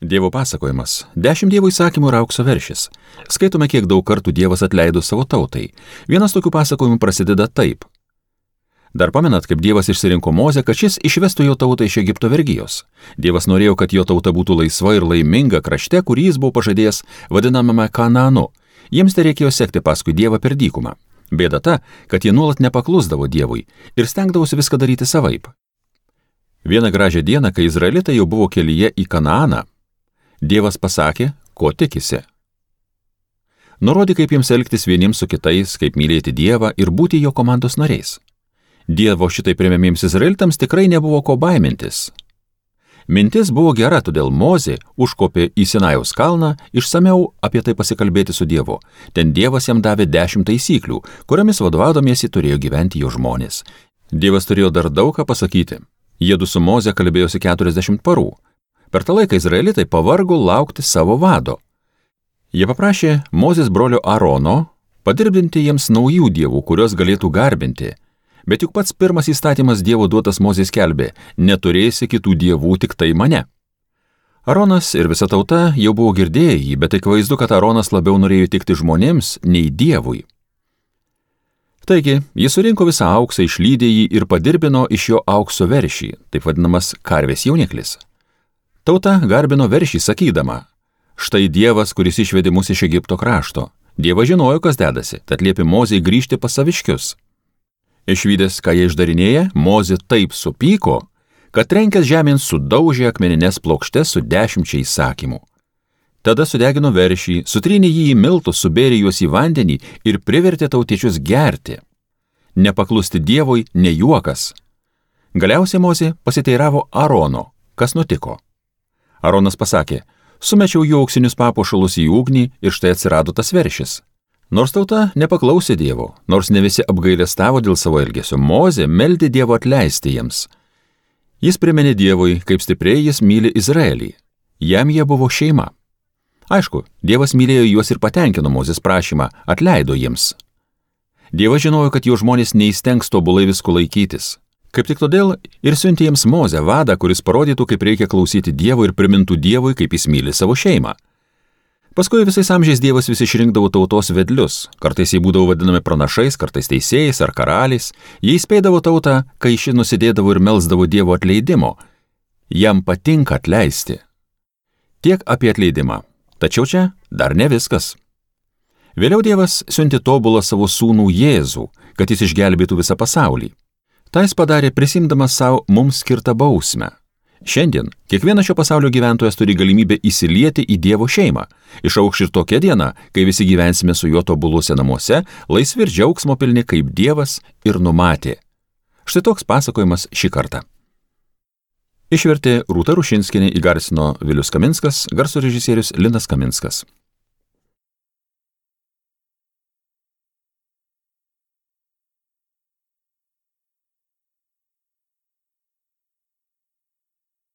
Dievo pasakojimas. 10 Dievo įsakymų ir aukso veršis. Skaitome, kiek daug kartų Dievas atleido savo tautai. Vienas tokių pasakojimų prasideda taip. Dar pamenat, kaip Dievas išsirinko Mozę, kad šis išvestų jo tautą iš Egipto vergijos. Dievas norėjo, kad jo tauta būtų laisva ir laiminga krašte, kurį jis buvo pažadėjęs vadinamame Kanaanu. Jiems tai reikėjo sekti paskui Dievą per dykumą. Bėda ta, kad jie nuolat nepaklusdavo Dievui ir stengdavosi viską daryti savaip. Vieną gražią dieną, kai izraelitai jau buvo kelyje į Kanaaną, Dievas pasakė, ko tikisi. Nurodė, kaip jiems elgtis vieniems su kitais, kaip mylėti Dievą ir būti jo komandos nariais. Dievo šitai priėmėmiems izraelitams tikrai nebuvo ko baimintis. Mintis buvo gera, todėl Mozė užkopė į Sinajaus kalną išsamiau apie tai pasikalbėti su Dievu. Ten Dievas jam davė 10 taisyklių, kuriomis vadovaudomiesi turėjo gyventi jo žmonės. Dievas turėjo dar daug ką pasakyti. Jiedu su Moze kalbėjosi 40 parų. Per tą laiką izraelitai pavargo laukti savo vado. Jie paprašė Mozės brolio Arono padirbdinti jiems naujų dievų, kuriuos galėtų garbinti. Bet juk pats pirmas įstatymas Dievo duotas Mozės skelbė, neturėsi kitų dievų, tik tai mane. Aronas ir visa tauta jau buvo girdėję jį, bet akivaizdu, kad Aronas labiau norėjo tikti žmonėms nei Dievui. Taigi, jis surinko visą auksą, išlydė jį ir padirbino iš jo aukso veršį, taip vadinamas karvės jauniklis. Tauta garbino veršį sakydama, štai Dievas, kuris išvedė mus iš Egipto krašto. Dievas žinojo, kas dedasi, tad liepė Mozei grįžti pas saviškius. Išvydęs, ką jie išdarinėja, Mozė taip supyko, kad trenkęs žemėn sudaužė akmenines plokštes su 10 įsakymų. Tada sudegino veršį, sutrynė jį į miltus, subėrė juos į vandenį ir privertė tautiečius gerti. Nepaklusti Dievui ne juokas. Galiausiai Mozė pasiteiravo Arono, kas nutiko. Aronas pasakė, sumečiau jų auksinius papuošalus į ugnį ir štai atsirado tas veršis. Nors tauta nepaklausė Dievo, nors ne visi apgailestavo dėl savo elgesio, Mozė meldė Dievo atleisti jiems. Jis priminė Dievui, kaip stipriai jis myli Izraelį. Jam jie buvo šeima. Aišku, Dievas mylėjo juos ir patenkino Mozės prašymą, atleido jiems. Dievas žinojo, kad jo žmonės neįstengs tobulai visko laikytis. Kaip tik todėl ir siuntė jiems Mozę, vadą, kuris parodytų, kaip reikia klausyti Dievo ir primintų Dievui, kaip jis myli savo šeimą. Paskui visais amžiais Dievas vis išrinkdavo tautos vedlius. Kartais jie būdavo vadinami pranašais, kartais teisėjais ar karaliais. Jie įspėdavo tautą, kai ši nusidėdavo ir melsdavo Dievo atleidimo. Jam patinka atleisti. Tiek apie atleidimą. Tačiau čia dar ne viskas. Vėliau Dievas siuntė tobulą savo sūnų Jėzų, kad jis išgelbėtų visą pasaulį. Tai jis padarė prisimdamas savo mums skirtą bausmę. Šiandien kiekvienas šio pasaulio gyventojas turi galimybę įsilieti į Dievo šeimą. Išauš ir tokia diena, kai visi gyvensime su juo tobuluose namuose, laisvi ir džiaugsmo pilni, kaip Dievas ir numatė. Štai toks pasakojimas šį kartą. Išvertė Rūta Rušinskienė, įgarsino Vilius Kaminskas, garso režisierius Linas Kaminskas.